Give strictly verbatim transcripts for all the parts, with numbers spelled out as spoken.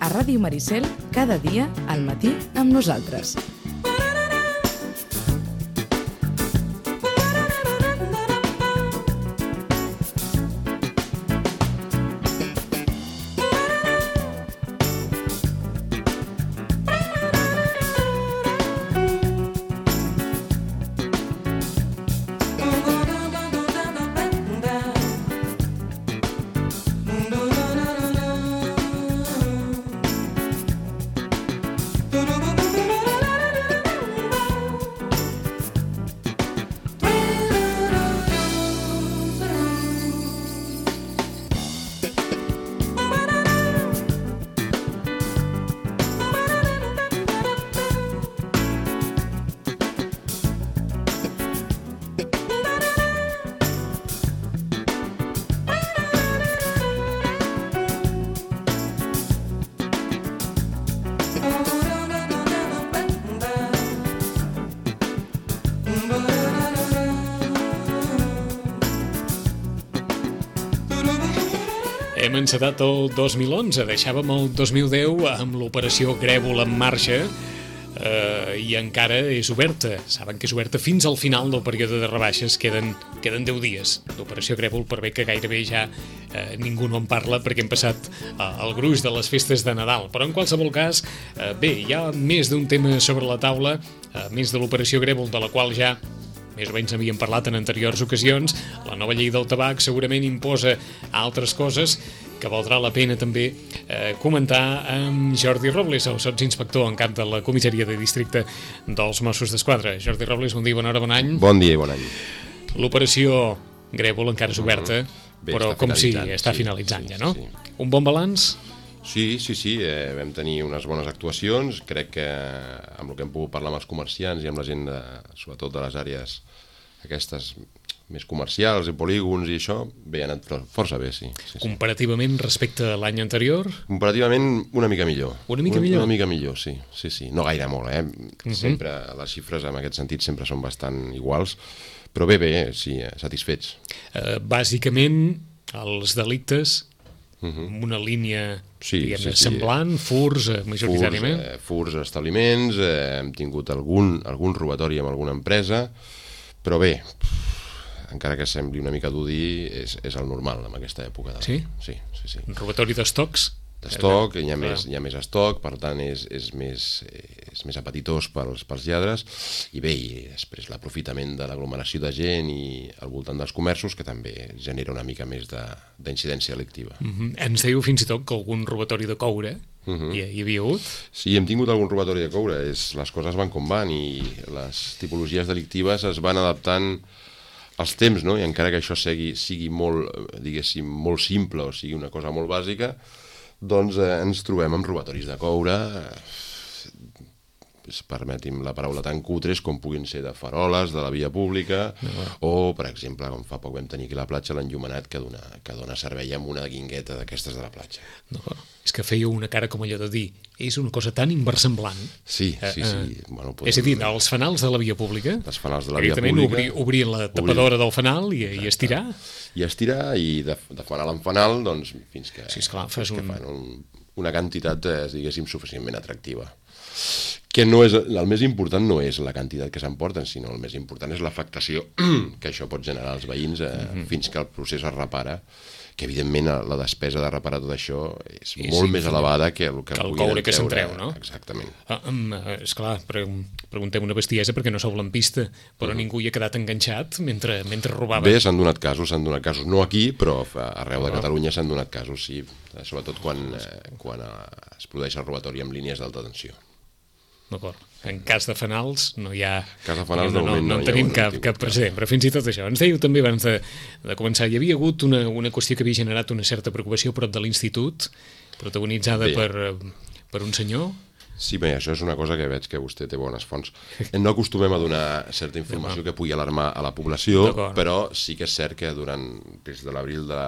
a Ràdio Maricel cada dia al matí amb nosaltres. Hem encetat el dos mil onze, deixàvem el dos mil deu amb l'operació Grèvol en marxa eh, i encara és oberta. Saben que és oberta fins al final del període de rebaixes, queden, queden deu dies d'operació Grèvol, per bé que gairebé ja eh, ningú no en parla perquè hem passat eh, el gruix de les festes de Nadal. Però en qualsevol cas, eh, bé, hi ha més d'un tema sobre la taula, eh, més de l'operació Grèvol, de la qual ja més o menys havíem parlat en anteriors ocasions. La nova llei del tabac segurament imposa altres coses que valdrà la pena també eh, comentar amb Jordi Robles, el sotsinspector en cap de la comissaria de districte dels Mossos d'Esquadra. Jordi Robles, bon dia, bona hora, bon any. Bon dia i bon any. L'operació Grèvol encara és oberta, mm-hmm. Bé, però com si està sí, finalitzant sí, ja, no? Sí, sí. Un bon balanç? Sí, sí, sí, eh, vam tenir unes bones actuacions. Crec que amb el que hem pogut parlar amb els comerciants i amb la gent, de, sobretot de les àrees aquestes més comercials i polígons i això, bé, ha anat força bé, sí. sí, sí. Comparativament respecte a l'any anterior? Comparativament una mica millor. Una mica millor? Una mica millor, sí. sí, sí. No gaire molt, eh? Uh-huh. Sempre, les xifres en aquest sentit sempre són bastant iguals, però bé, bé, sí, satisfets. Uh, bàsicament, els delictes Uh-huh. amb una línia sí, diguem-ne sí, sí. semblant, furs eh, majoritàriament. Furs, eh, furs a establiments, eh, hem tingut algun, algun robatori amb alguna empresa, però bé, encara que sembli una mica dur dir, és, és el normal en aquesta època. De sí? Sí, sí, sí. Robatori d'estocs? D'estoc, hi ha, més, hi ha més estoc, per tant és, és, més, és més apetitós pels, pels lladres, i bé, i després l'aprofitament de l'aglomeració de gent i al voltant dels comerços, que també genera una mica més d'incidència delictiva. Uh-huh. Ens diu fins i tot que algun robatori de coure uh-huh. hi, hi havia hagut? Sí, hem tingut algun robatori de coure, és, les coses van com van i les tipologies delictives es van adaptant als temps, no? I encara que això sigui, sigui molt, diguéssim, molt simple o sigui una cosa molt bàsica, doncs eh, ens trobem amb robatoris de coure, eh, permeti'm la paraula, tan cutres com puguin ser de faroles, de la via pública, no. O, per exemple, com fa poc vam tenir aquí a la platja, l'enllumenat que dona, que dona servei amb una guingueta d'aquestes de la platja. No, és que feia una cara com allò de dir, és una cosa tan inversemblant. Sí, sí, sí. Eh, bueno, podem... És a dir, els fanals de la via pública, els fanals de la via pública, obrir, obrir la tapadora obrir... del fanal i, i estirar. I estirar, i de, de fanal en fanal, doncs, fins que, sí, esclar, fas fins un... que fan un, una quantitat, eh, diguéssim, suficientment atractiva. Que no és, el més important no és la quantitat que s'emporten, sinó el més important és l'afectació que això pot generar als veïns eh, mm-hmm. fins que el procés es repara, que evidentment la despesa de reparar tot això és I molt sí, més elevada que el que, que el coure que se'n treu, no? Exactament. Ah, um, esclar, pre preguntem una bestiesa perquè no sou lampista, però mm. ningú hi ha quedat enganxat mentre, mentre robava. Bé, s'han donat casos, s'han donat casos, no aquí, però arreu de Catalunya s'han donat casos, sí, sobretot quan, eh, quan es produeix el robatori amb línies d'alta tensió. D'acord. En cas de fanals no hi ha... Cas de fanals no, de moment no, no, no en tenim cap, cap precedent, però fins i tot això. Ens dèieu també abans de, de començar, hi havia hagut una, una qüestió que havia generat una certa preocupació prop de l'institut, protagonitzada per, per un senyor... Sí, bé, això és una cosa que veig que vostè té bones fonts. No acostumem a donar certa informació que pugui alarmar a la població, però sí que és cert que durant, des de l'abril de...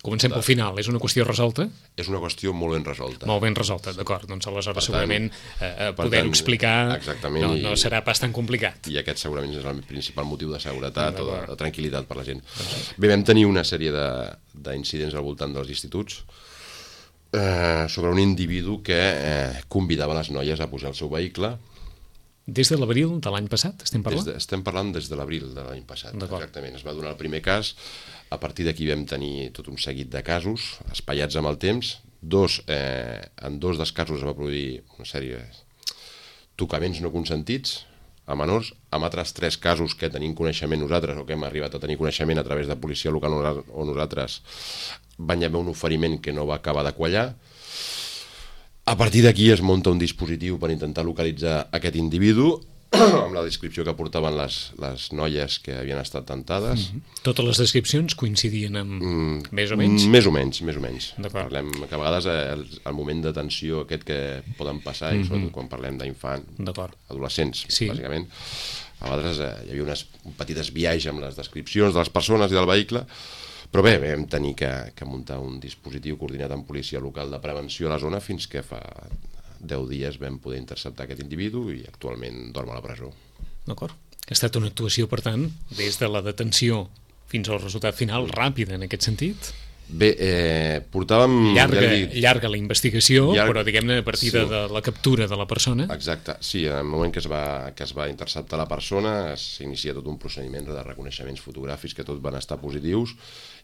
Comencem de... pel final, és una qüestió resolta? És una qüestió molt ben resolta. Molt ben resolta, d'acord. Doncs aleshores segurament eh, poder-ho explicar no, no serà pas tan complicat. I aquest segurament és el principal motiu de seguretat o de, de tranquil·litat per la gent. Bé, vam tenir una sèrie d'incidents al voltant dels instituts. eh, sobre un individu que eh, convidava les noies a pujar al seu vehicle. Des de l'abril de l'any passat, estem parlant? Des de, estem parlant des de l'abril de l'any passat, exactament. Es va donar el primer cas, a partir d'aquí vam tenir tot un seguit de casos, espaiats amb el temps. Dos, eh, en dos dels casos es va produir una sèrie de tocaments no consentits a menors, amb altres tres casos que tenim coneixement nosaltres, o que hem arribat a tenir coneixement a través de policia local o nosaltres, van haver un oferiment que no va acabar de quallar. A partir d'aquí es munta un dispositiu per intentar localitzar aquest individu, amb la descripció que portaven les, les noies que havien estat tentades. Mm-hmm. Totes les descripcions coincidien amb mm, més o menys? Més o menys, més o menys. Parlem que a vegades el, el moment de tensió aquest que poden passar, mm-hmm. i sobretot quan parlem d'infant, adolescents, sí. bàsicament, a vegades eh, hi havia unes, un petit desviatge amb les descripcions de les persones i del vehicle, però bé, vam tenir que, que muntar un dispositiu coordinat amb policia local de prevenció a la zona fins que fa deu dies vam poder interceptar aquest individu i actualment dorm a la presó. D'acord. Ha estat una actuació, per tant, des de la detenció fins al resultat final, ràpida en aquest sentit? Bé, eh, portàvem... Llarga, ja dic, llarga la investigació, llarg, però diguem-ne a partir sí. de la captura de la persona. Exacte, sí, en el moment que es va, que es va interceptar la persona s'inicia tot un procediment de reconeixements fotogràfics que tots van estar positius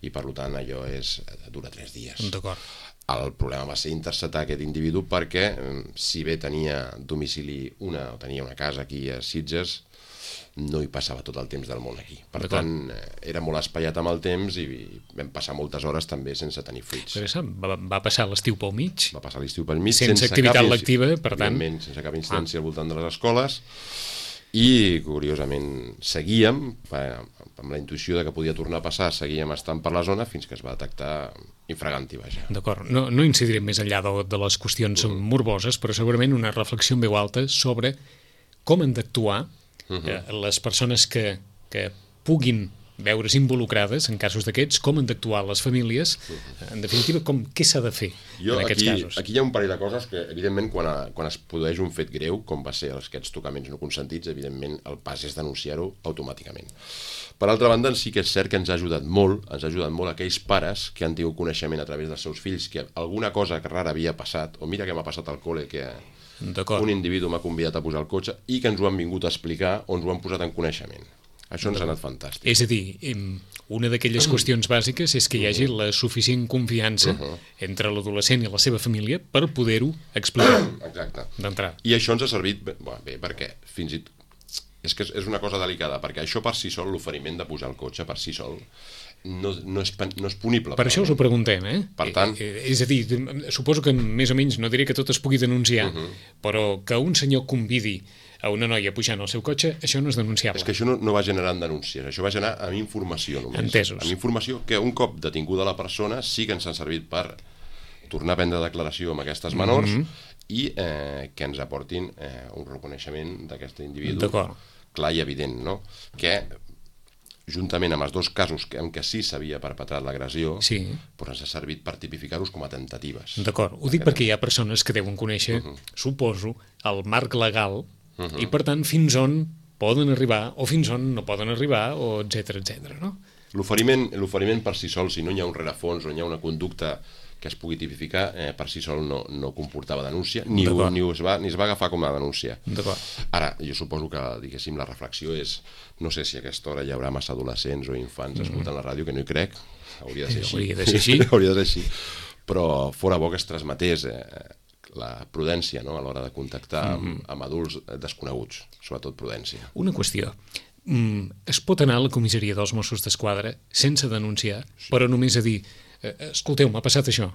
i per tant allò és, dura tres dies. D'acord. El problema va ser interceptar aquest individu perquè, si bé tenia domicili una, o tenia una casa aquí a Sitges, no hi passava tot el temps del món aquí. Per tant, era molt espaiat amb el temps i vam passar moltes hores també sense tenir fruits. Va, va passar l'estiu pel mig. Va passar l'estiu pel mig. Sense, sense activitat lectiva, per tant. Sense cap incidència ah. al voltant de les escoles. I, curiosament, seguíem, amb la intuïció de que podia tornar a passar, seguíem estant per la zona fins que es va detectar infraganti, vaja. D'acord. No, no incidirem més enllà de, de les qüestions mm. morboses, però segurament una reflexió en veu alta sobre com han d'actuar Uh-huh. les persones que, que puguin veure's involucrades en casos d'aquests, com han d'actuar les famílies, uh-huh. en definitiva, com, què s'ha de fer jo, en aquests aquí, casos? Aquí hi ha un parell de coses que, evidentment, quan, a, quan es produeix un fet greu, com va ser aquests tocaments no consentits, evidentment, el pas és denunciar-ho automàticament. Per altra banda, sí que és cert que ens ha ajudat molt, ens ha ajudat molt aquells pares que han tingut coneixement a través dels seus fills, que alguna cosa rara havia passat, o mira què m'ha passat al col·le, que un individu m'ha convidat a posar el cotxe i que ens ho han vingut a explicar o ens ho han posat en coneixement. Això ens ha anat fantàstic. És a dir, una d'aquelles qüestions bàsiques és que hi hagi la suficient confiança uh-huh. entre l'adolescent i la seva família per poder-ho explicar. Exacte. D'entrada. I això ens ha servit bé, bé perquè fins i tot és que és una cosa delicada, perquè això per si sol, l'oferiment de pujar el cotxe per si sol, no, no, és, no és punible. Per això us ho preguntem, eh? Per tant... Eh, és a dir, suposo que més o menys, no diré que tot es pugui denunciar, uh-huh. però que un senyor convidi a una noia pujant al seu cotxe, això no és denunciable. És que això no, no va generar denúncies, això va generar amb informació només. Entesos. Amb informació que un cop detinguda la persona sí que ens ha servit per tornar a prendre declaració amb aquestes menors mm-hmm. i eh, que ens aportin eh, un reconeixement d'aquest individu clar i evident, no? Que juntament amb els dos casos en què sí s'havia perpetrat l'agressió, sí. però ens ha servit per tipificar-los com a temptatives. D'acord, ho dic perquè hi ha persones que deuen conèixer, uh-huh. suposo, el marc legal uh-huh. i per tant fins on poden arribar o fins on no poden arribar, o etcètera, etcètera, no? L'oferiment, l'oferiment per si sol, si no hi ha un rerefons o hi ha una conducta que es pugui tipificar, eh, per si sol no, no comportava denúncia, ni, ho, ni, es va, ni es va agafar com a denúncia. Ara, jo suposo que, diguéssim, la reflexió és, no sé si a aquesta hora hi haurà massa adolescents o infants mm-hmm. escoltant la ràdio, que no hi crec, hauria de ser així. Hauria de ser així. hauria de ser així. Però fora bo que es transmetés eh, la prudència, no?, a l'hora de contactar mm-hmm. amb, amb adults desconeguts, sobretot prudència. Una qüestió. Mm, es pot anar a la comissaria dels Mossos d'Esquadra sense denunciar, sí. però només a dir escolteu, m'ha passat això.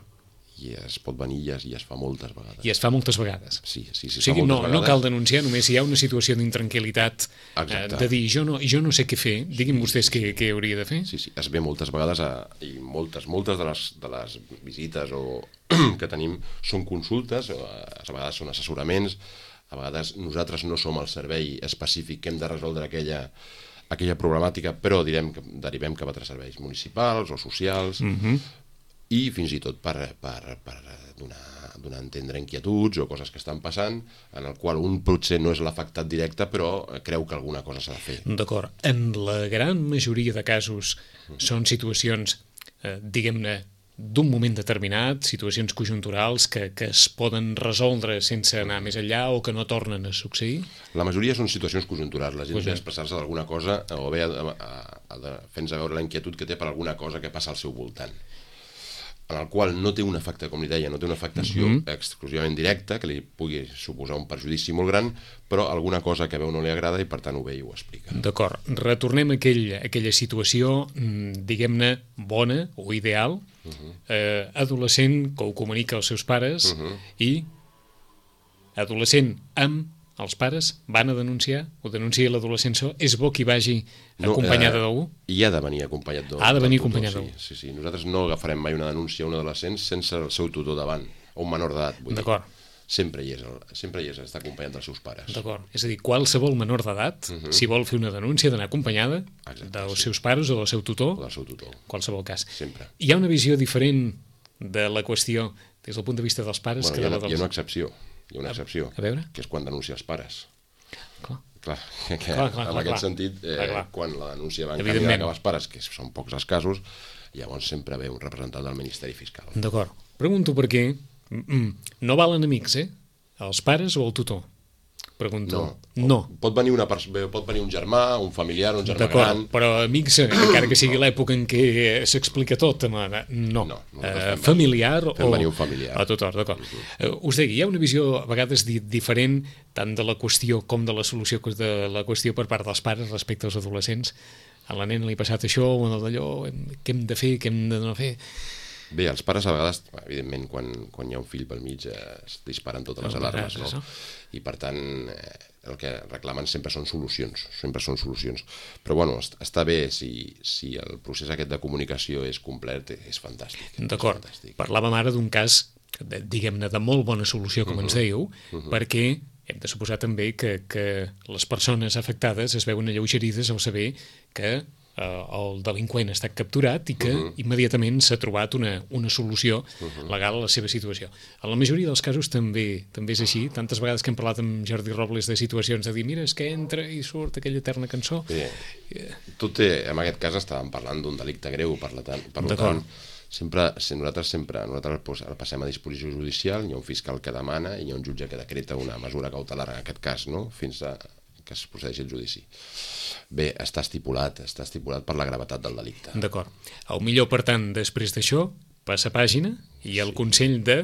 I es pot venir i es, i es fa moltes vegades. I es fa moltes vegades. Sí, sí, sí. O sigui, no, no cal denunciar, només hi ha una situació d'intranquil·litat eh, de dir, jo no, jo no sé què fer, diguin sí, vostès sí, què, què hauria de fer. Sí, sí, es ve moltes vegades a, i moltes, moltes de les, de les visites o, que tenim són consultes, o a vegades són assessoraments, a vegades nosaltres no som el servei específic que hem de resoldre aquella aquella problemàtica, però direm que derivem cap a altres serveis municipals o socials mm-hmm. i fins i tot per, per, per donar, donar a entendre inquietuds o coses que estan passant, en el qual un potser no és l'afectat directe, però creu que alguna cosa s'ha de fer. D'acord. En la gran majoria de casos mm-hmm. són situacions, eh, diguem-ne, d'un moment determinat, situacions conjunturals que, que es poden resoldre sense anar més enllà o que no tornen a succeir? La majoria són situacions conjunturals. La gent Pues ve a expressar-se d'alguna cosa o ve a, a, a, a fent-nos veure la inquietud que té per alguna cosa que passa al seu voltant, en el qual no té un efecte, com li deia, no té una afectació mm-hmm. exclusivament directa, que li pugui suposar un perjudici molt gran, però alguna cosa que veu no li agrada i per tant ho ve i ho explica. D'acord. Retornem a aquell, a aquella situació, diguem-ne, bona o ideal, uh-huh. eh, adolescent que ho comunica als seus pares uh-huh. i adolescent amb els pares van a denunciar, ho denuncia l'adolescent, és bo que hi vagi acompanyada no, eh, d'algú? I ha de venir acompanyat d'algú. Ha de venir acompanyat d'algú. Sí, sí, sí. Nosaltres no agafarem mai una denúncia a un adolescent sense el seu tutor davant, o un menor d'edat, vull D'acord. dir. Sempre hi és, el, sempre hi és, està acompanyat dels seus pares. D'acord. És a dir, qualsevol menor d'edat, uh-huh. si vol fer una denúncia, d'anar acompanyada Exacte, dels sí. seus pares o del seu tutor, o del seu tutor. Qualsevol cas. Sempre. Hi ha una visió diferent de la qüestió des del punt de vista dels pares bueno, que hi ha, de la dels... Hi ha una excepció, hi ha una excepció, a, a veure? que és quan denuncia els pares. Clar. Clar, que clar, clar, en clar, aquest clar. sentit, eh, clar, clar. quan la denúncia va en camí de cap als pares, que són pocs els casos, llavors sempre ve un representant del Ministeri Fiscal. D'acord. Pregunto per què no valen amics, eh? Els pares o el tutor? Pregunto. No. no. Pot venir, una pot venir un germà, un familiar, un germà gran... Però amics, encara que sigui l'època en què s'explica tot, no. no uh, familiar o... Fem venir un familiar. A tutor, d'acord. Uh, us deia, hi ha una visió a vegades di diferent tant de la qüestió com de la solució de la qüestió per part dels pares respecte als adolescents. A la nena li ha passat això o d'allò, què hem de fer, què hem de no fer... Bé, els pares a vegades, evidentment, quan, quan hi ha un fill pel mig eh, es disparen totes les alarmes, no? I per tant, eh, el que reclamen sempre són solucions, sempre són solucions. Però bueno, està bé si, si el procés aquest de comunicació és complet, és fantàstic. D'acord, parlàvem ara d'un cas, diguem-ne, de molt bona solució, com uh-huh. ens dèieu, uh-huh. perquè hem de suposar també que, que les persones afectades es veuen alleugerides al saber que el delinqüent ha estat capturat i que uh-huh. immediatament s'ha trobat una, una solució uh-huh. legal a la seva situació. En la majoria dels casos també també és així. Tantes vegades que hem parlat amb Jordi Robles de situacions de dir, mira, és que entra i surt aquella eterna cançó. Bé, tot té, en aquest cas estàvem parlant d'un delicte greu, per, la tant, per tant, sempre, nosaltres sempre nosaltres pues, el passem a disposició judicial, hi ha un fiscal que demana i hi ha un jutge que decreta una mesura cautelar en aquest cas, no? Fins a que es procedeixi el judici. Bé, està estipulat, està estipulat per la gravetat del delicte. D'acord. El millor, per tant, després d'això, passa pàgina i el sí. consell de...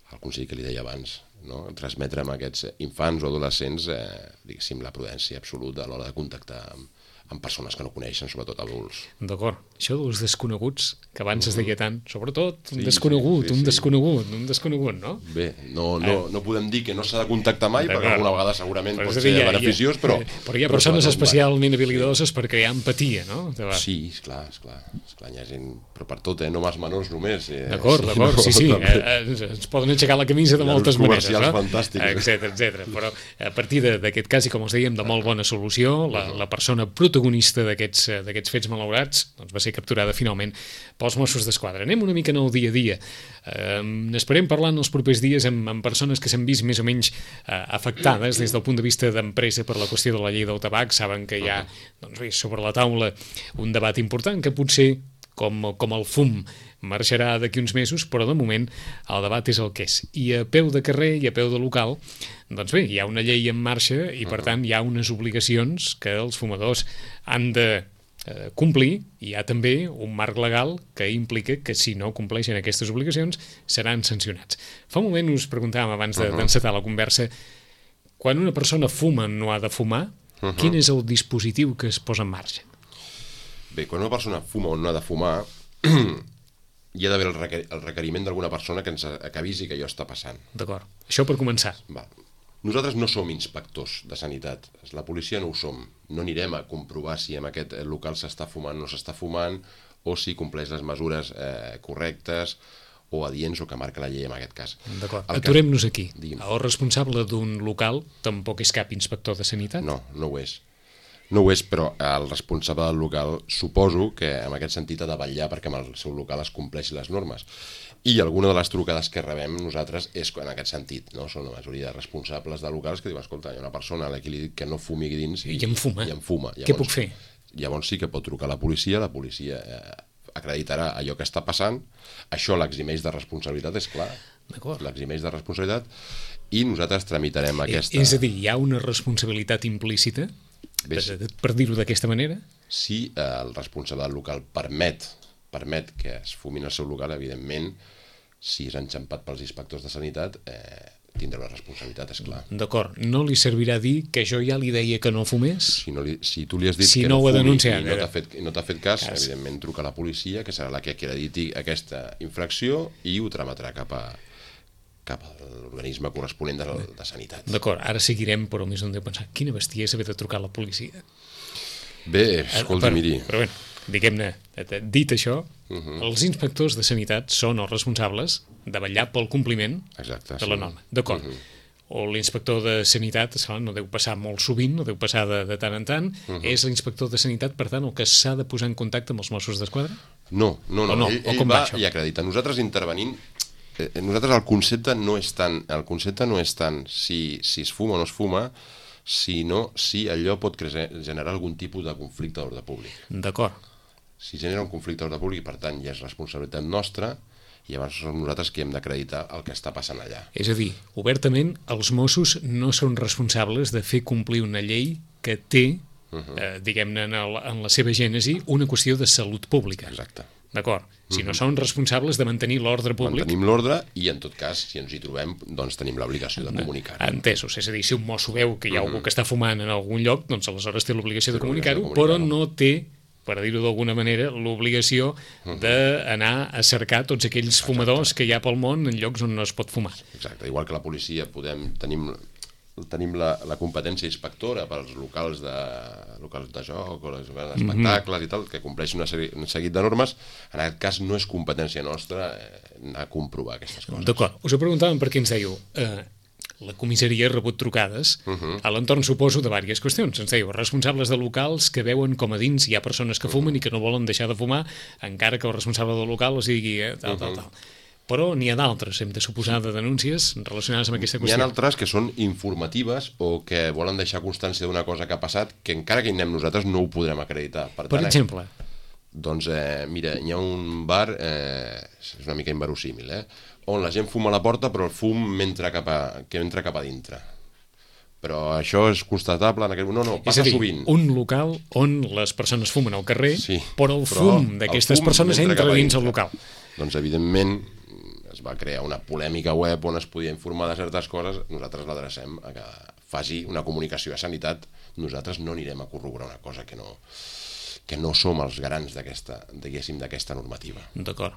El consell que li deia abans, no? Transmetre a aquests infants o adolescents eh, diguéssim, la prudència absoluta a l'hora de contactar amb, amb persones que no coneixen, sobretot adults. D'acord. Això dels desconeguts, que abans uh-huh. es deia tant, sobretot un sí, desconegut, sí, sí, un sí. desconegut, un desconegut, no? Bé, no, no, no podem dir que no s'ha de contactar mai, perquè alguna vegada segurament pot ser ja, beneficiós, ja, però... Però hi ha persones especialment habilidoses per crear empatia, no? Sí, esclar, esclar, esclar, hi ha gent, però per tot, eh? No mals menors només. Eh? D'acord, d'acord, sí, sí, eh, ens poden aixecar la camisa de moltes maneres, no? Fantàstics. Etcètera, etcètera. Però a partir d'aquest cas, i com els dèiem, de molt bona solució, la, la persona protagonista d'aquests d'aquests fets malaurats doncs va ser capturada finalment pels Mossos d'Esquadra. Anem una mica en el dia a dia. Eh, n'esperem parlar en els propers dies amb, amb persones que s'han vist més o menys eh, afectades des del punt de vista d'empresa per la qüestió de la llei del tabac. Saben que hi ha doncs bé, sobre la taula un debat important que potser com, com el fum marxarà d'aquí uns mesos, però de moment el debat és el que és. I a peu de carrer i a peu de local, doncs bé, hi ha una llei en marxa i per tant hi ha unes obligacions que els fumadors han de eh, complir. Hi ha també un marc legal que implica que si no compleixen aquestes obligacions seran sancionats. Fa un moment us preguntàvem abans de, d'encetar la conversa, quan una persona fuma o no ha de fumar, uh-huh. quin és el dispositiu que es posa en marxa? Bé, quan una persona fuma o no ha de fumar, hi ha d'haver el, requer el requeriment d'alguna persona que ens que avisi que allò està passant. D'acord. Això per començar. Va. Nosaltres no som inspectors de sanitat. La policia no ho som. No anirem a comprovar si en aquest local s'està fumant o no s'està fumant, o si compleix les mesures eh, correctes o adients o que marca la llei en aquest cas. D'acord. Aturem-nos aquí. Digui'm. El responsable d'un local tampoc és cap inspector de sanitat? No, no ho és. No ho és, però el responsable del local suposo que en aquest sentit ha de vetllar perquè amb el seu local es compleixin les normes. I alguna de les trucades que rebem nosaltres és en aquest sentit, no? Són la majoria de responsables de locals que diuen, escolta, hi ha una persona a la que li dic que no fumi dins i, I em fuma. I em fuma. Llavors, què puc fer? Llavors sí que pot trucar a la policia, la policia eh, acreditarà allò que està passant, això l'eximeix de responsabilitat, és clar, l'eximeix de responsabilitat, i nosaltres tramitarem aquesta... És a dir, hi ha una responsabilitat implícita, per dir-ho d'aquesta manera? Si el responsable del local permet, permet que es fumin el seu local, evidentment, si és enxampat pels inspectors de sanitat, eh, tindrà una responsabilitat, és clar. D'acord, no li servirà dir que jo ja li deia que no fumés? Si, no li, si tu li has dit si que no, no ho fumi denunciat, i no t'ha fet, no fet cas, cas, evidentment truca a la policia, que serà la que acrediti aquesta infracció, i ho trametrà cap a, cap a l'organisme corresponent de, de sanitat. D'acord, ara seguirem, però més on deu pensar, quina bestiesa haver de trucar a la policia. Bé, escolta, miri... Però bé, diguem-ne, dit això, uh -huh. els inspectors de sanitat són els responsables de vetllar pel compliment Exacte, de la sí. norma. D'acord. Uh -huh. O l'inspector de sanitat, esclar, no deu passar molt sovint, no deu passar de, de tant en tant, uh -huh. és l'inspector de sanitat, per tant, el que s'ha de posar en contacte amb els Mossos d'Esquadra? No, no, no, no? ell, ell va i acredita. Nosaltres intervenint, eh, nosaltres el concepte no és tant, el concepte no és tant si, si es fuma o no es fuma, sinó si allò pot generar algun tipus de conflicte d'ordre públic. D'acord. Si genera un conflicte d'ordre públic, per tant, ja és responsabilitat nostra, i llavors som nosaltres que hem d'acreditar el que està passant allà. És a dir, obertament, els Mossos no són responsables de fer complir una llei que té, uh -huh. eh, diguem-ne, en, el, en la seva gènesi, una qüestió de salut pública. Exacte. D'acord. Si no són responsables de mantenir l'ordre públic... Mantenim l'ordre i, en tot cas, si ens hi trobem, doncs tenim l'obligació de comunicar-ho. Entesos. És a dir, si un mosso veu que hi ha algú que està fumant en algun lloc, doncs aleshores té l'obligació de comunicar-ho, però no té, per dir-ho d'alguna manera, l'obligació d'anar a cercar tots aquells fumadors que hi ha pel món en llocs on no es pot fumar. Exacte. Igual que la policia podem... tenim tenim la, la competència inspectora pels locals de, locals de joc o les espectacles mm-hmm. i tal, que compleixin un seguit de normes. En aquest cas no és competència nostra anar a comprovar aquestes coses. D'acord. Us ho preguntàvem perquè ens dèieu eh, la comissaria ha rebut trucades uh-huh. a l'entorn, suposo, de diverses qüestions. Ens dèieu, responsables de locals que veuen com a dins hi ha persones que fumen uh-huh. i que no volen deixar de fumar, encara que el responsable del local els digui eh, tal, uh-huh. tal, tal. Però n'hi ha d'altres, hem de suposar, de denúncies relacionades amb aquesta qüestió. N'hi ha altres que són informatives o que volen deixar constància d'una cosa que ha passat que encara que hi anem nosaltres no ho podrem acreditar. Per, per tant, exemple? Eh, doncs, eh, mira, hi ha un bar, eh, és una mica inverosímil, eh, on la gent fuma a la porta però el fum entra cap a, que entra cap a dintre. Però això és constatable en aquell... No, no, passa és a dir, sovint. Un local on les persones fumen al carrer, sí, però el fum d'aquestes persones entra dins el local. Doncs, evidentment, es va crear una polèmica web on es podia informar de certes coses, nosaltres l'adrecem a que faci una comunicació a sanitat. Nosaltres no anirem a corroborar una cosa que no, que no som els garants d'aquesta, diguéssim, d'aquesta normativa. D'acord.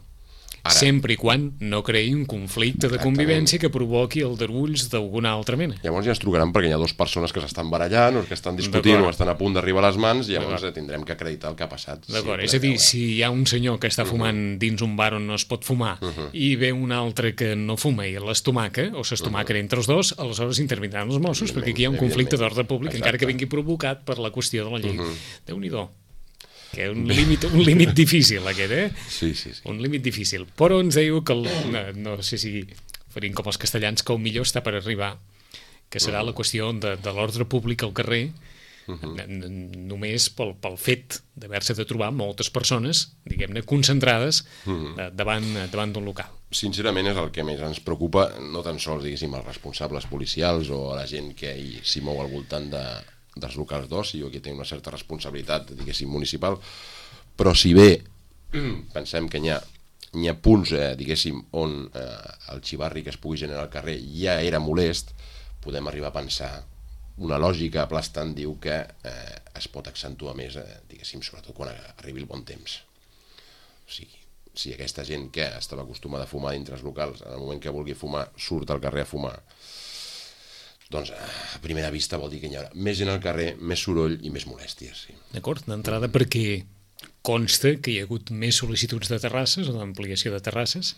Ara, sempre i quan no creï un conflicte de convivència que provoqui aldarulls d'alguna altra mena. Llavors ja ens trucaran perquè hi ha dues persones que s'estan barallant o que estan discutint o estan a punt d'arribar a les mans, i llavors tindrem que acreditar el que ha passat. D'acord, sí, és a dir, si hi ha un senyor que està fumant uh -huh. dins un bar on no es pot fumar uh -huh. i ve un altre que no fuma i l'estomaca, o s'estomaca uh -huh. entre els dos, aleshores intervindran els Mossos, perquè aquí hi ha un conflicte d'ordre públic, encara que vingui provocat per la qüestió de la llei. Uh -huh. Déu-n'hi-do. Que un límit, un límit difícil aquest, eh? Sí, sí, sí. Un límit difícil. Però ens diu que, el, no, no sé si farien com els castellans, que el millor està per arribar, que serà uh -huh. la qüestió de, de l'ordre públic al carrer, uh -huh. només pel, pel fet d'haver-se de trobar moltes persones, diguem-ne, concentrades uh -huh. davant, davant d'un local. Sincerament és el que més ens preocupa, no tan sols, diguéssim, els responsables policials o la gent que s'hi mou al voltant de dels locals d'oci o que té una certa responsabilitat, diguéssim, municipal, però si bé pensem que n'hi ha, n'hi ha punts, eh, diguéssim, on eh, el xivarri que es pugui generar al carrer ja era molest, podem arribar a pensar, una lògica aplastant diu que eh, es pot accentuar més, eh, diguéssim, sobretot quan arribi el bon temps. O sigui, si aquesta gent que estava acostumada a fumar dintre els locals, en el moment que vulgui fumar, surt al carrer a fumar, doncs a primera vista vol dir que hi haurà més gent al carrer, més soroll i més molèsties. Sí. D'acord, d'entrada perquè consta que hi ha hagut més sol·licituds de terrasses o d'ampliació de terrasses.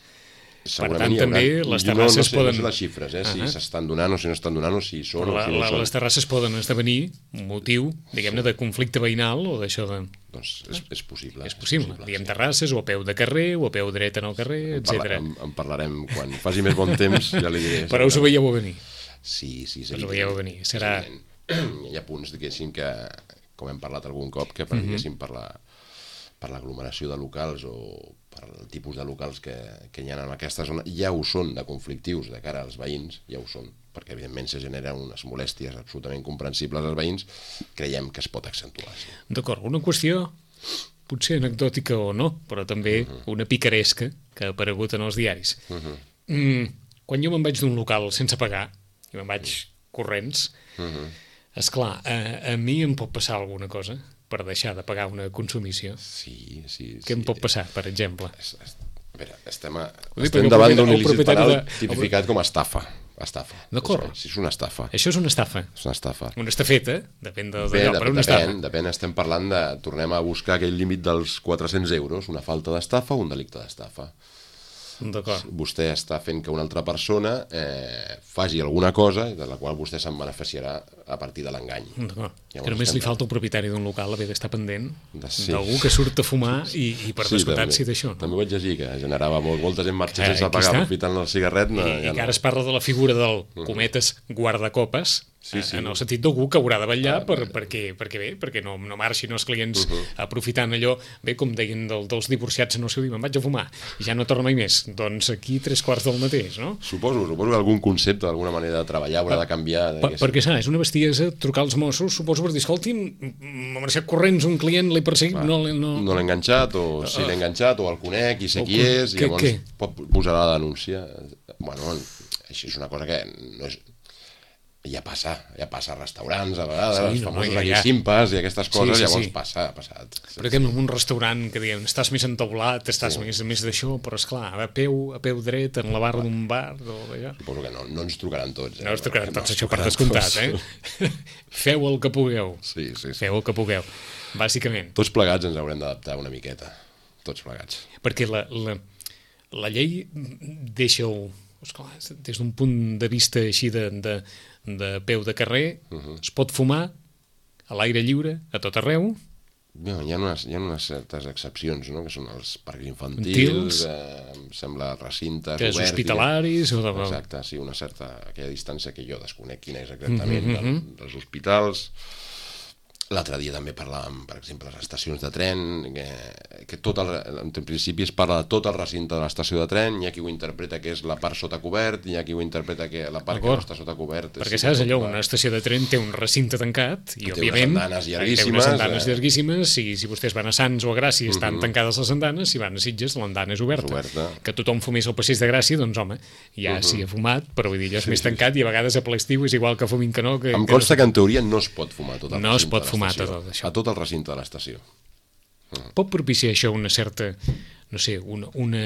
Segurament per tant, també les terrasses no, no sé, poden... No sé les xifres, eh? Si uh -huh. s'estan donant o si no estan donant o si són la, o si no la, són. Les terrasses poden esdevenir motiu, diguem-ne, de conflicte veïnal o d'això de... Doncs és, és possible. És possible. És possible. Diguem sí. Terrasses o a peu de carrer o a peu dret en el carrer, etcètera. En, en parlarem quan faci més bon temps, ja li diré. Però us ho veieu a venir. Sí, sí, sí. Us ho veieu a venir. Serà... Hi ha punts, diguéssim, que, com hem parlat algun cop, que per, uh -huh. per la per l'aglomeració de locals o per el tipus de locals que, que hi ha en aquesta zona, ja ho són de conflictius de cara als veïns, ja ho són, perquè evidentment se generen unes molèsties absolutament comprensibles als veïns, creiem que es pot accentuar. Sí. D'acord, una qüestió potser anecdòtica o no, però també uh-huh. una picaresca que ha aparegut en els diaris. Uh-huh. Mm, quan jo me'n vaig d'un local sense pagar, i me'n vaig corrents, uh-huh. esclar, a, a mi em pot passar alguna cosa per deixar de pagar una consumició. Sí, sí. Què sí. em pot passar, per exemple? Es, es, a veure, estem, a, dir, estem davant d'un il·lícit penal de... tipificat com a estafa. Estafa. D'acord. Això, és una estafa. Això és una estafa. És una estafa. Una estafeta, depèn de, Bé, d'allò, però una estafa. Depèn, depèn, estem parlant de... Tornem a buscar aquell límit dels quatre-cents euros, una falta d'estafa o un delicte d'estafa. D'acord. Vostè està fent que una altra persona eh, faci alguna cosa de la qual vostè se'n beneficiarà a partir de l'engany. D'acord. Que només li falta al propietari d'un local haver d'estar pendent de sí. d'algú que surt a fumar i, i per sí, descomptat també, sí d'això. No? També vaig llegir que generava molt, molta gent marxa Eh, sense aquí pagar està. aprofitant el cigarret. No, I, ja i que no. ara es parla de la figura del, cometes, guardacopes, Sí, sí. en el sentit d'algú que haurà de vetllar Ah, per, bé. perquè, perquè bé, perquè no, no marxin els clients Uh-huh. aprofitant allò, bé, com deien del, dels divorciats en el seu dia, me'n vaig a fumar i ja no torno mai més, doncs aquí tres quarts del mateix, no? Suposo, suposo que algun concepte, alguna manera de treballar haurà de canviar. Per, perquè, saps, és una bestiesa trucar als Mossos, suposo per dir, escolti, m'ha marxat corrents un client, l'he perseguit, no, l'he- no... no l'he enganxat, o si l'he enganxat, o el conec i sé O qui con- és, i què- llavors què? pot posar la denúncia. Bueno, això és una cosa que no és... Ja passa, ja passa a restaurants a vegades, Sí, els no, famosos ja, aquí ja. simpes i aquestes coses, sí, llavors sí. passa, ha passat. Per exemple, en un restaurant que diuen estàs més entaulat, estàs Sí. més, més d'això, però esclar, a peu, a peu dret, en la barra d'un bar, o d'allò. Suposo que no, no ens trucaran tots. Eh? No us trucaran No tots, ens això per trucaran descomptat, tots. eh? Feu el que pugueu. Sí, sí, sí. Feu el que pugueu, bàsicament. Tots plegats ens haurem d'adaptar una miqueta. Tots plegats. Perquè la, la, la llei deixa-ho, esclar, des d'un punt de vista així de, de, de peu de carrer, uh-huh. es pot fumar a l'aire lliure, a tot arreu. No, hi ha unes, hi ha unes certes excepcions, no? Que són els parcs infantils, Infantils. eh, em sembla recintes Que és oberts... i- hospitalaris o de... Exacte, sí, una certa aquella distància que jo desconec quina és exactament Mhm, mhm. del, dels hospitals. L'altre dia també parlàvem, per exemple, les estacions de tren, que, que tot el, en principi es parla de tot el recinte de l'estació de tren, hi ha qui ho interpreta que és la part sota cobert, hi ha qui ho interpreta que la part que no D'acord. està sota cobert... Perquè sí, saps tot allò, va- una estació de tren té un recinte tancat i, Té unes òbviament, andanes té llarguíssimes, unes andanes eh. llarguíssimes, i si vostès van a Sants o a Gràcia estan Mhm. tancades les andanes, si van a Sitges l'andana és oberta. És oberta. Que tothom fumés al passeig de Gràcia, doncs home, ja Mhm. s'hi ha fumat, però vull dir, ja és Sí, més sí, tancat i a vegades a ple estiu és igual que fumin que no. Que, Em que consta que en teoria no es pot fumar a tot el No es recinte pot de fumar l'estació. tot això. A tot el recinte de l'estació. Pot propiciar això una certa, no sé, una, una,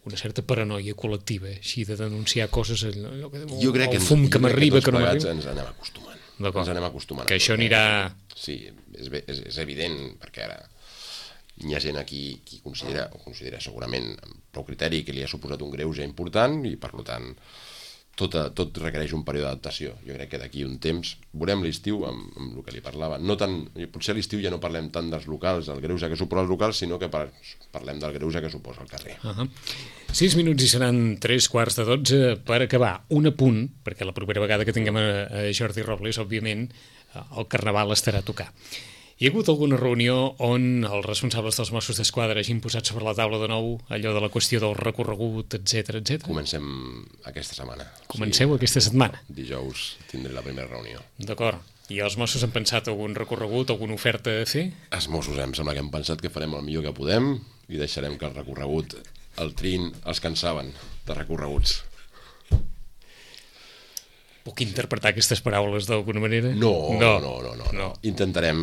una certa paranoia col·lectiva, així de denunciar coses, allò que, Jo crec que el ens, fum jo que crec m'arriba, tots que no plegats m'arriba. ens anem acostumant. D'acord. Ens anem acostumant. Que a això tot, eh? anirà- Sí, és, bé- és, és evident, perquè ara hi ha gent aquí qui considera, o considera segurament amb prou criteri que li ha suposat un greuge important i, per tant, tot, tot requereix un període d'adaptació. Jo crec que d'aquí un temps veurem l'estiu amb, amb el que li parlava. No tant, potser a l'estiu ja no parlem tant dels locals, del greuge que suposa els locals, sinó que par, parlem del greuge que suposa el carrer. Uh -huh. Sis minuts i seran tres quarts de dotze per acabar. Un apunt, perquè la propera vegada que tinguem a, a Jordi Robles, òbviament, el Carnaval estarà a tocar. Hi ha hagut alguna reunió on els responsables dels Mossos d'Esquadra hagin posat sobre la taula de nou allò de la qüestió del recorregut, etcètera, etcètera? Comencem aquesta setmana. Comenceu aquesta setmana. Dijous tindré la primera reunió. D'acord. I els Mossos han pensat algun recorregut, alguna oferta a fer? Els Mossos em sembla que hem pensat que farem el millor que podem i deixarem que el recorregut, el trin, els que en saben de recorreguts. Puc interpretar aquestes paraules d'alguna manera? No, no, no, no, no. no. Intentarem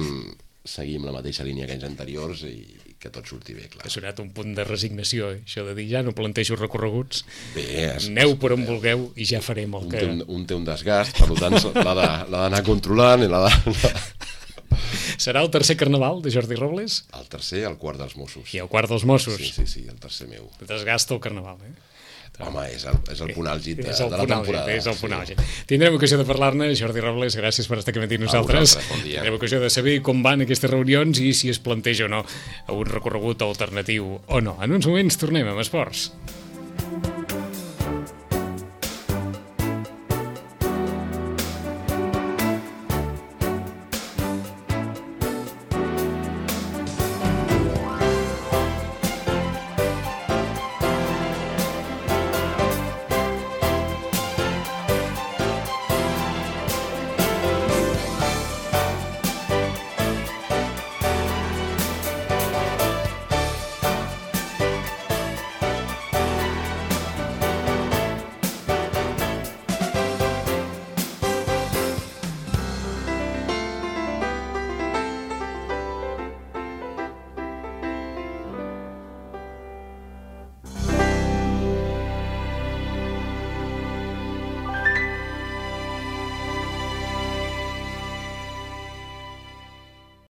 seguir amb la mateixa línia que anys anteriors i que tot surti bé, clar. Ha sonat un punt de resignació, eh? Això de dir ja no plantejo recorreguts, Bé, es, aneu per on vulgueu i ja farem el un, que... té un, un té un desgast, per tant l'ha de- l'ha d'anar controlant i l'ha de... Serà el tercer carnaval de Jordi Robles? El tercer, el quart dels Mossos. I el quart dels Mossos. Sí, sí, sí, el tercer meu. Desgasta el carnaval, eh? Home, és el, és el punt àlgid de, És el de la punt àlgid, temporada. és el punt sí. àlgid. Tindrem ocasió de parlar-ne. Jordi Robles, gràcies per estar aquí amb nosaltres. vosaltres, bon dia. Tindrem ocasió de saber com van aquestes reunions i si es planteja o no un recorregut alternatiu o no. En uns moments tornem amb esports.